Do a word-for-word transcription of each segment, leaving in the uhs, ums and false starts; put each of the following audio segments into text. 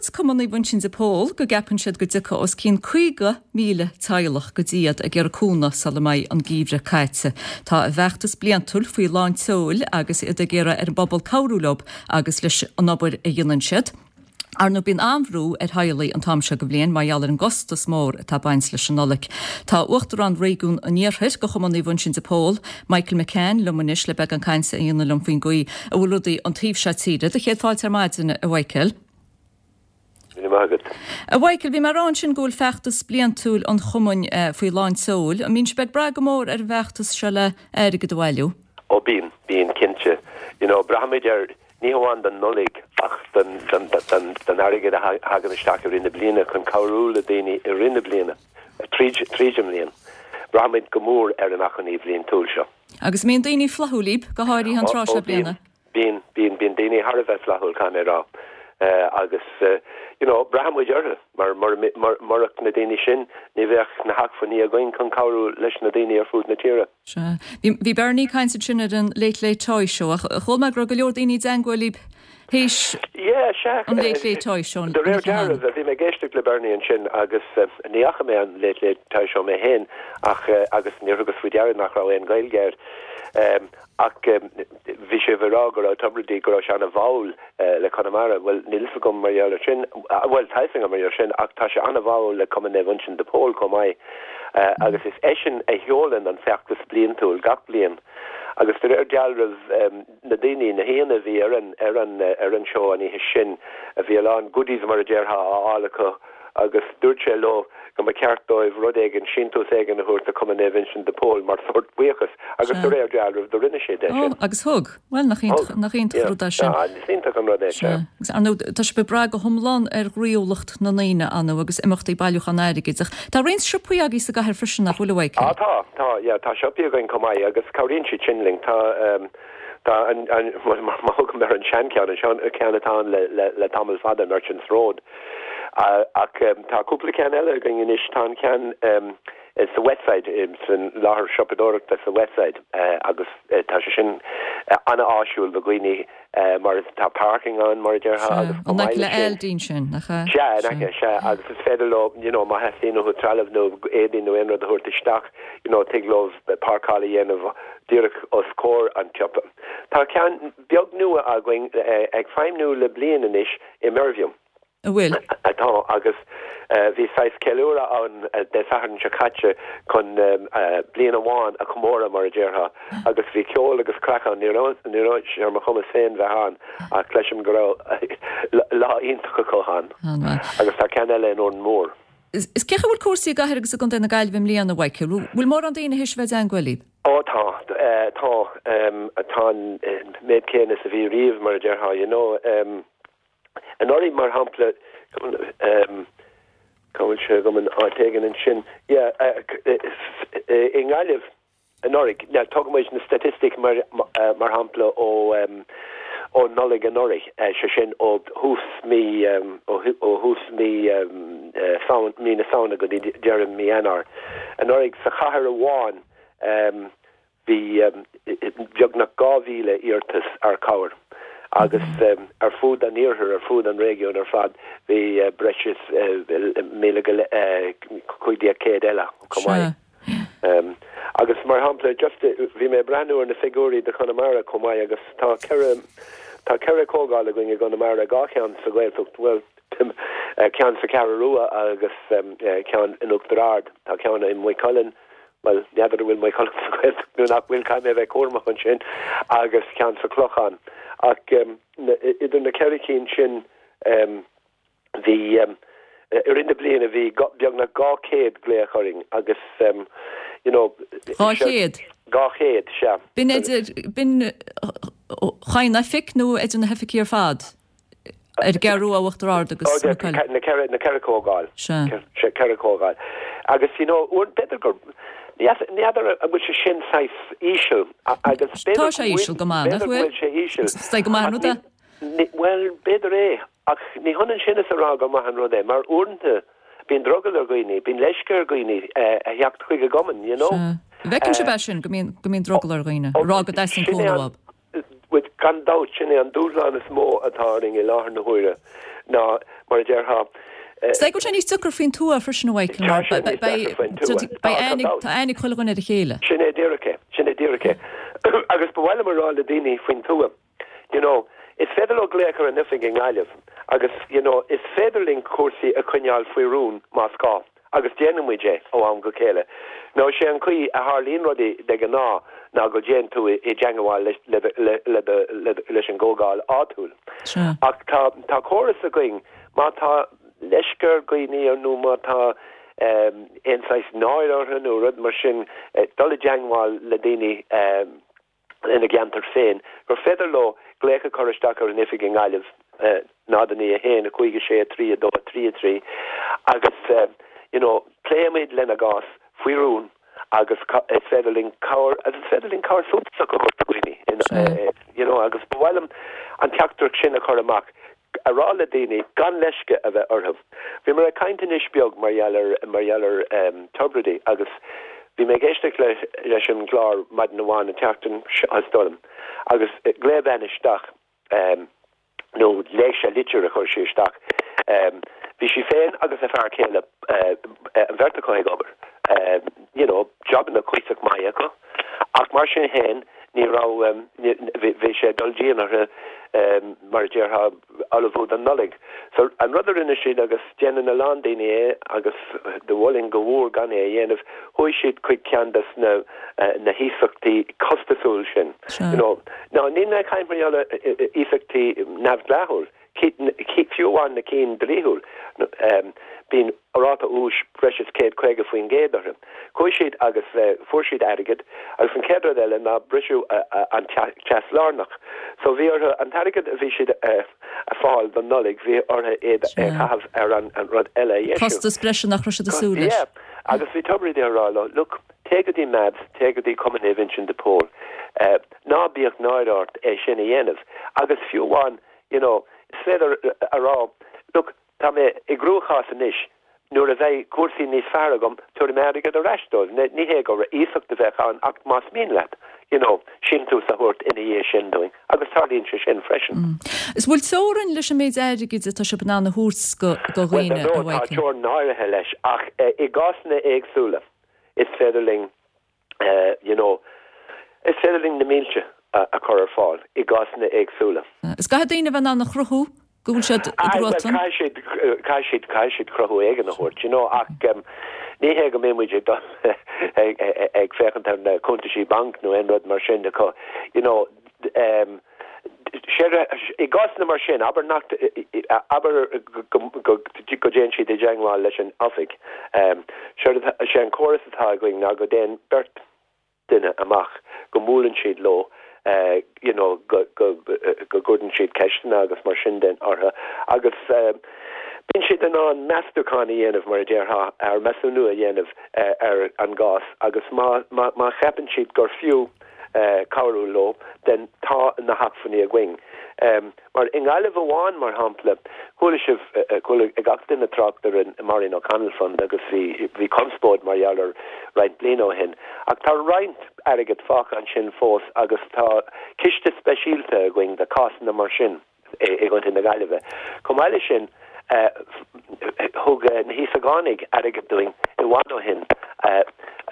Dúirt Cumann Naomh Uinseann de Pól go gceapann siad go dtiocfaidh os cionn caoga míle teaghlach go dtí iad ag iarraidh cúnamh sula mbeidh an geimhreadh caite. Tá a bhfeachtas bliantúil faoi lán tseoil agus iad ag iarraidh ar an bpobal cabhrú leo agus leis an obair a dhéanann siad. Ar ndóigh bíonn an-bhrú ar theaghlaigh an t-am seo de bhliain mar gheall ar an gcostas mór atá ag baint leis an Nollaig. Tá Uachtarán Réigiún an Iarthair de Chumann Naomh Uinseann de Pól, Michael McCann liom anois le beagán cainte a dhéanamh liom faoin gcaoi a bhfuil rudaí an taobh seo tíre. Do chéad fáilte ar maidin a Mhichael. A Mhichael, bhí mé ag rá ansin go bhfuil feachtas bliantúil an chumainn eh, faoi lán tseoil. An mbíonn sibh ag brath go mór ar an bhfeachtas seo le airgead a bhailiú? Ó bíonn, bíonn cinnte. You know, braithimid air ní hamháin don Nollaig ach don don don don airgead a thagann isteach i rith na bliana chun cabhrú le daoine i rith na bliana tríd tríd an mbliain. Braithimid go mór ar an achainí bhliantúil seo. Agus mbíonn daoine flaithiúil libh go háirithe an tráth seo bliana. Bíonn bíonn bíonn daoine thar a bheith flaithiúil caithfidh mé a rá. Uh, agus uh, you know, braithimid orthu mar mar mar murach na daoine sin ní bheadh na hacmhainní againn chun cabhrú leis na daoine ar fud na tíre. Sea. Bhí bhí Bernie ag caint ansin ar an Late Late Toy Show ach chuala mé go raibh go leor daoine i dteagmháil libh théis Yeah, sea. an Late Late Toy Show. De réir dealraimh bhí mé ag éisteacht le Bernie ansin agus uh, ní fhaca mé an Late Late Toy Show mé féin ach uh, agus níor thugas faoi deara nach raibh aon Ghaeilge air. Um, ach um, bhí sé ag rá go raibh Tubridy go raibh sé an-bháúil uh, le Conamara, well níl a fhios agam mar gheall air sin uh, well tá a fhios agam mar gheall sin ach tá sé an-bháúil le Cumann Naomh Uinseann de Pól chomh maith. Uh, agus is eisean a sheolann an feachtas bliantúil gach bliain. Agus de réir dealraimh um, na daoine na haíonna a bhí ar an ar an ar an seó an oíche sin a bhí a lán goodies mar a déarfá á fháil acu agus dúirt sé leo go mba cheart dóibh rud éigin síntiús éigin a thabhairt do Chumann Naomh Uinseann de Pól mar sórt buíochas agus de réir dealraimh do rinne sé é sin. Agus thug well nach nach iontach rud é sin. Is iontach an rud é sin. Agus ar ndóigh tá sibh ag brath go hiomlán ar ghroíúlacht na ndaoine ann agus imeachtaí bailiúchán airgid. Tá roinnt siopaí agaibh sa gcathair freisin nach bhfuil a Ah tá tá yeah, tá siopaí againn chomh maith agus cabhraíonn siad sin linn tá um, tá an an má thugaim ar an seancheann an sean ceann atá le le le tamall fada Merchants Road. Uh, ach um, tá cúpla ceann eile againn anois tá an ceann um, sa Westside san láthair siopadóireachta sa Westside uh, agus uh, tá sé sin uh, an-áisiúil do dhaoine uh, mar tá parking ann mar a déarfá agus An le Aldi sin nach Sea sea agus is féidir leo you know, má theastaíonn uathu trealamh nó éadaí nó aon rud a thabhairt isteach you know, tig leo páirceáil a dhéanamh díreach os comhair an tsiopa. Tá ceann beag nua againn uh, ag feidhmiú le bliain anois i Mervue. An bhfuil atá agus uh, bhí saghas ceiliúradh ann uh, Dé Sathairn seo caite chun um, uh, bliain amháin a chomóradh mar a déarfá agus bhí ceol agus craic ann ní ní raibh ar mo chumas féin bheith ann ach cloisim go raibh lá iontach acu ann agus tá ceann eile in Órán Mór. Is cén chaoi a bhfuil cúrsaí i gcathair agus i gContae na Gaillimhe i mbliana a Mhichael, bhfuil mórán daoine théis bheith i dteagmháil libh? Ó tá tá tá an méid céanna is a bhí riamh mar a déarfá you know um, Anuraidh mar shampla um, cá bhfuil sé agam an áit éigin ansin i nGaillimh anuraidh tugaimid na staitisticí mar mar shampla ó um, ó Nollaig anuraidh sé sin ó thús mí um, ó thús mí um, uh, mí na Samhna go dtí deireadh mí Eanáir. Anuraidh sa chathair amháin um, bhí um, beagnach dhá mhíle iarratas ar chabhair. agus um, ar fud an iarthair ar fud an réigiún ar fad bhí uh, breis is uh, míle cúig déag céad eile chomh maith. Um, agus mar shampla just bhí mé breathnú ar na figiúirí do Chonamara chomh maith agus tá ceithre tá ceithre comhdháil againn i gConamara dhá cheann sa Ghaeltacht well ceann sa Cheathrú Rua agus um, ceann in Uachtar Ard tá ceann i Maigh Cuilinn well n'fheadar bhfuil Maigh Cuilinn sa Ghaeltacht nó nach bhfuil caithfidh mé bheith cúramach ansin agus ceann sa Chlochán ach um, idir na ceithre cinn sin um, bhí um, i rith na bliana bhí beagnach dhá chéad glaoch orainn agus um, you know Dhá chéad? Dhá chéad sea. B'in idir b'in chaon oifig nó idir na hoifigí ar fad? Ar an gCeathrú Rua Uachtar Ard agus na ceithre na ceithre comhdháil sé ceithre comhdháil. Agus you know b'fhéidir gur n'fheadar an bhfuil sé sin saghas íseal agus Tá sé íseal go maith nach bhfuil sé íseal. Sé go maith an rud é? Well b'fhéidir é ach ní hionann sin is a rá go maith an rud é mar uaireanta bíonn drogall ar dhaoine, bíonn leisce ar dhaoine a theacht chuig an gcumann, you know. Bhfeiceann sibh é sin go mbíonn go mbíonn drogall ar dhaoine, rá go dteastaíonn cúnamh uathu. With gan dabht sin é an dúshlán is mó atá orainn i láthair na huaire ná mar a déarfá. Is dóigh go bhfuil sé níos deacra faoin tuath freisin a Mhichael mar beidh aithne ag chuile dhuine ar a chéile. Sin é díreach é, sin é díreach é. Agus ba mhaith liom a rá le daoine faoin tuath, you know, is féidir leo glaoch ar an oifig i nGaillimh agus, you know, is féidir linn cúrsaí a choinneáil faoi rún más gá agus déanann muid é ó am go chéile. Nó sé an chaoi a tharlaíonn rudaí de ghnáth ná go dtéann tú i dteangmháil leis an gcomhdháil áitiúil. Ach tá tá córas againn má tá leisce ar dhaoine nó má tá aon saghas náire orthu nó rud mar sin dul i dteangmháil le daoine ina gceantar féin, gur féidir leo glaoch a chur isteach ar an oifig i nGaillimh, náid a naoi a haon, a cúig a sé, a trí, a dó, a trí, a trí, agus you know pléimid lena gcás faoi rún agus is féidir linn cabhair agus is féidir linn cabhair suntasach a thabhairt do dhaoine you know agus ba mhaith liom an teachtaireacht sin a chur amach a rá le daoine gan leisce a bheith orthu. Bhíomar ag caint anois beag mar gheall ar mar gheall ar um, Tubridy agus bhí mé ag éisteacht le leis an gclár maidin amháin an tseachtain seo is dóigh liom agus glaoigh bean isteach um, nó léigh sé litir a chuir sí isteach. Um, bhí sí féin agus a fear céile uh, an bheirt acu ag obair. Um, you know, jobanna cuíosach maith acu. Ach mar sin féin ní raibh um, bhí sé dul dian orthu um, mar a déarfá ullmhú don Nollaig. So an rud a rinne siad agus déanann a lán daoine é agus do mholfainn go mór gan é a dhéanamh, chuaigh siad chuig ceann des na uh, na hiasachtaí costasúil sin. You know, ná níl mé ag caint mar gheall ar iasachtaí neamhdhleathúil, fiú amháin na cinn dlíthiúil, um, bíonn ráta úis breis is céad caoga faoin gcéad orthu. Chuaigh siad agus uh, fuair siad airgead agus an chéad rud eile ná briseadh uh, an teas lárnach. So bhí orthu an t-airgead a bhí siad uh, a fáil don Nollaig bhí orthu é a chaitheamh ar an, an rud eile. Costas breise nach raibh siad ag súil leis. Yeah, agus bhí Tubridy á rá leo, look, téigh go dtí MABS, téigh go dtí Cumann Naomh Uinseann de Pól. Uh, ná bíodh náire ort é sin a dhéanamh. Agus fiú amháin, you know, is féidir a rá, look, tá mé i gcruachás anois, nuair a bheidh cúrsaí níos fearr agam, tabharfaidh mé airgead ar ais dóibh. Ní hé gur iasacht a bheadh ann ach más mian leat, you know, síntiús a thabhairt ina dhiaidh sin dúinn, agus tarlaíonn sé sin freisin. Mm. Is bhfuil teorainn leis an méid airgid atá sibh in ann a thabhairt go go dhaoine a Tá teorainn áirithe leis, ach eh, i gcásanna éagsúla is féidir linn uh, you know, is féidir linn na mílte a, a chur ar fáil i gcásanna éagsúla. Is caithfidh daoine bheith in ann a chruthú go bhfuil siad i gcruatan? Caithfidh siad caithfidh siad cruthú éigin a thabhairt, you know, ach um, ní hé go mbeidh muid ag ag féachaint ar na cuntaisí banc nó aon rud mar sin acu, you know, um, i gcásanna mar sin, abair nach abair go dtéann siad i dteangmháil leis an oifig. Um, sé an córas atá againn ná go dtéann beirt duine amach go mbuaileann siad leo uh, you know, go go go gcuireann siad ceisteanna agus mar sin den orthu agus uh, bíonn siad in ann meastachán a dhéanamh mar a déarfá ar measúnú a dhéanamh uh, ar an gcás agus má má má cheapann siad gur fiú uh, cabhrú leo den tá na hacmhainní againn. Um, mar i nGaillimh amháin mar shampla chuala sibh chuala ag gach duine trácht ar an Maureen O'Connell Fund agus bhí bhí conspóid mar gheall air roinnt bliain ó shin. Ach tá roinnt airgead fágtha ansin fós agus tá ciste speisialta againn do cásanna mar sin i gContae na Gaillimhe. Chomh maith leis sin uh, thug uh, na hÍosagánaigh airgead dúinn i bhfad ó shin uh,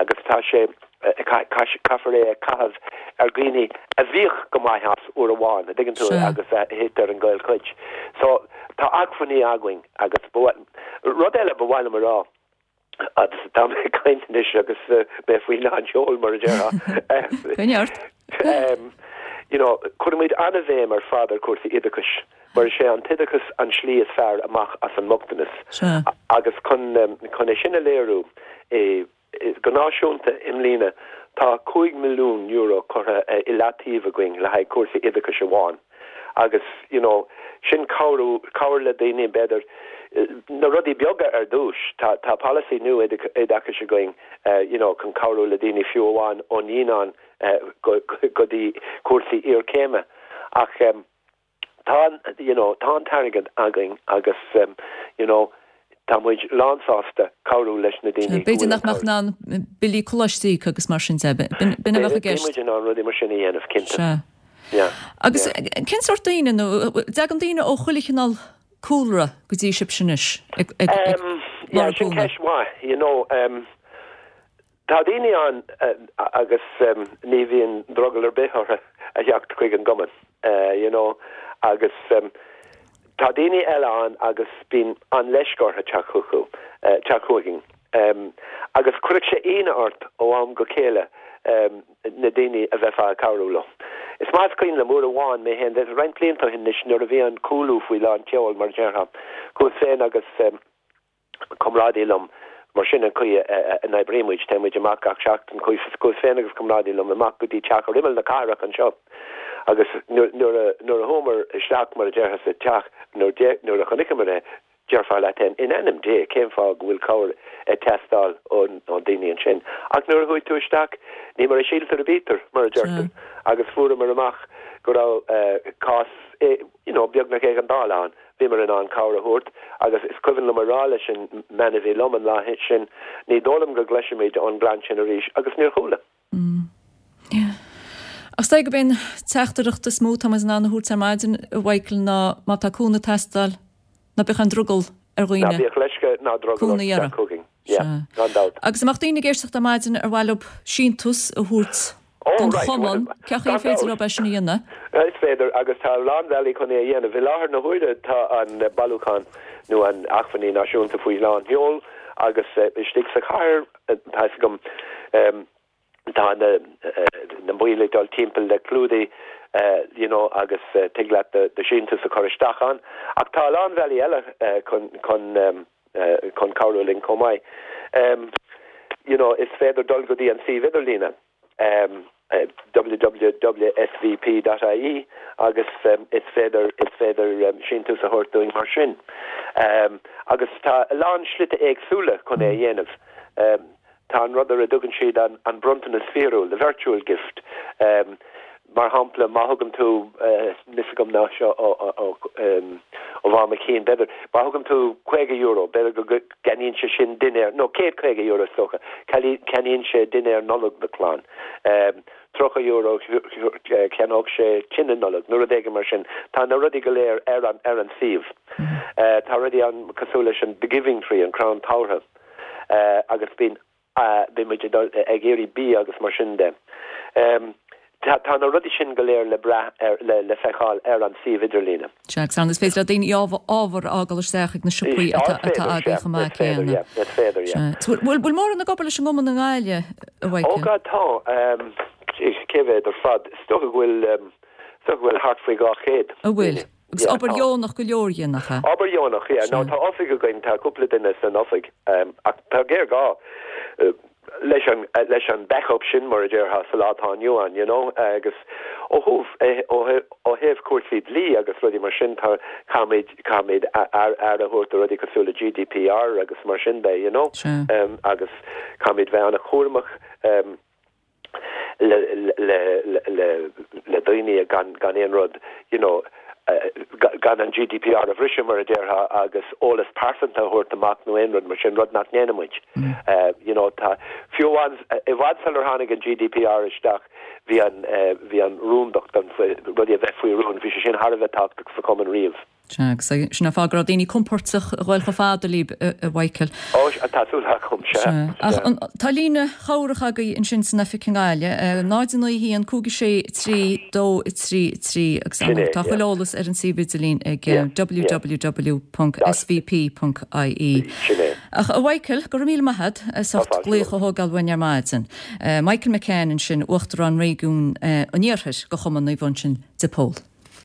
agus tá sé caithfear é a chaitheamh ar dhaoine a bhíodh go maith as uair amháin a dtuigeann tú agus thit ar an gcaolchuid. So tá acmhainní againn agus rud eile ba mhaith liom a rá agus tá mé ag caint anois agus mé faoi lán seoil mar a déarfá. You know, cuirimid an-bhéim ar fad ar cúrsaí oideachais, mar sé an t-oideachas an slí is fearr amach as an mbochtanas. Agus chun chun é sin a léiriú e go náisiúnta i mbliana tá cúig milliún euro curtha i leataobh againn le haghaidh cúrsaí oideachais amháin. Agus you know, sin cabhrú cabhair le daoine b'fhéidir na rudaí beaga ar dtús tá tá policy nua oideachais againn uh, you know, chun cabhrú le daoine fiú amháin ó naíonán uh, go, go dtí cúrsaí iarchéime ach um, tá you know, tá an t-airgead againn agus um, you know, tá muid lánsásta cabhrú leis na daoine. B'fhéidir nach mbeadh in ann billí coláiste a íoc agus mar sin de b'in a bheadh i gceist. Muid in ann rudaí mar sin a dhéanamh cinnte. Agus cén sórt daoine nó dtagann daoine ó chuile chineál cúlra go dtí sibhse anois ag ag ag Um, yeah, lorg sin cúnamh? ceist mhaith, you know, um, tá daoine ann uh, agus um, ní bhíonn drogall ar bith orthu a theacht chuig an gcumann, uh, you know, agus um, tá daoine eile ann agus bíonn an leisce orthu teacht chucu, uh, teacht chugainn. Um, agus cuireann sé ionadh ort ó am go chéile um, na daoine a bheifeá ag cabhrú leo. Is maith is cuimhin liom uair amháin mé féin, roinnt blianta ó shin anois nuair a bhí an cúlú faoi lán tseoil mar a déarfá. Chuas féin agus um, comrádaí liom mar sin an chaoi a n-oibrímid, téimid amach gach seachtain chuas féin agus comrádaí liom amach go dtí teach ar imeall na cathrach anseo. Agus nuair a chuamar isteach mar a déarfá sa teach nuair a chonaiceamar é déarfá leat féin in ainm Dé cén fáth go bhfuil cabhair ag teastáil ó daoine ansin. Ach nuair a chuaigh tú isteach ní mar a síltear a bítear mar a deirtear agus fuaireamar amach go raibh cás you know, beagnach éigeandála ann. Bhíomar in ann cabhair a thabhairt agus is cuimhin liom a rá leis an mbean a bhí liom an lá sin ní dóigh liom go gcloisfimid ón gclann sin arís agus níor chuala. Mm. Yeah. Ach is gurb é an teachtaireacht is mó atá muid in ann a thabhairt ar maidin a Mhichael ná má tá cúnamh ag teastáil ná bíodh an drogall ar Ná dhaoine. bíodh leisce ná drogall Cúnamh a iarraidh. chugainn. Yeah, gan dabht. Agus amach daoine ag éisteacht ar maidin ar mhaith leo síntiús a thabhairt Oh, don right, chumann, well, cén chaoi gan féidir dabht. leo é sin a dhéanamh? Is féidir agus tá a lán bealaí chun é a dhéanamh. I láthair na huaire tá an bailiúchán nó an achainí náisiúnta faoi lán tseoil agus uh, istigh sa chathair tá gom um, tá na na baill ag dul timpeall le clúdaigh uh, you know, agus uh, tig leat do do shíntiús a chur isteach ann. Ach tá a lán bealaí eile uh, chun chun um, uh, chun cabhrú linn chomh maith. Um, you know, is féidir dul go dtí an suíomh idirlíne. Um, uh, www.svp.ie agus um, is féidir is féidir um, síntiús a thabhairt dúinn mar sin. Um, agus tá a lán slite éagsúla chun é a dhéanamh. Um, tá an rud ar a dtugann siad an, an bronntanas fíorúil, the virtual gift. Um, mar shampla má thugann tú níl a fhios agam ná seo ó bhá cín beidir má thugann tú caoga euro b'fhéidir go gceannaíonn sé sin dinnéar nó céad caoga euro socha ceannaíonn sé dinnéar Nollag do chlann. Um, tríocha euro ceannóidh sé tine Nollag, nó rud éigin mar sin tá na rudaí go léir ar an ar an suíomh. Uh, tá rudaí ann cosúil leis an the giving tree an crann tabhartha uh, agus bíonn uh, bíonn muid ag iarraidh bia agus mar sin de. Um, tá tá na rudaí sin go léir le brath ar le le feiceáil ar an suíomh idirlíne. Sea, agus is féidir le daoine ábhar a fhágáil isteach ag na siopaí atá agaibh chomh maith céanna. Bhfuil bhfuil mórán ag obair leis an gcumann i nGaillimh a Ó Mhichael? go tá cé mhéad ar fad is dócha go bhfuil is dócha go bhfuil thart faoi dhá chéad. A bhfuil. Agus obair dheonach go leor dhéanach. Obair dheonach ná tá oifig againn tá cúpla duine san oifig ach tá géarghá leis an leis an backup sin mar a déarfá sa lá atá inniu ann you know agus ó thaobh ó thaobh cúrsaí dlí agus rudaí mar sin tá caithfimid caithfimid aire a thabhairt do rudaí cosúil le GDPR agus mar sin de you know um, agus caithfimid bheith an-chúramach um, le le le le daoine gan gan aon rud you know uh, gan an GDPR a bhriseadh mar a déarfá agus eolas pearsanta a thabhairt amach nó aon rud mar sin rud nach ndéanaimid. Mm. Uh, you know tá fiú i bhfad sular tháinig an GDPR isteach bhí an uh, bhí an rúndacht an rudaí a bheith faoi rún bhí sé sin thar a bheith tábhachtach sa chumann riamh. Sin an fáth go raibh daoine compordach a ghabháil chomh fada libh a Mhichael. Ó tá súil agam sé. Tá líne chabhrach agaibh ansin san oifig i nGaillimh, náid naoi haon cúig sé trí dó trí trí agus tá chuile eolas ar an suíomh idirlín ag www.svp.ie. Ach a Mhichael go raibh míle maith agat as ucht glaoch a thógáil uainn ar maidin. Michael McCann ansin uachtarán réigiún an iarthair do Chumann Naomh Uinseann de Pól.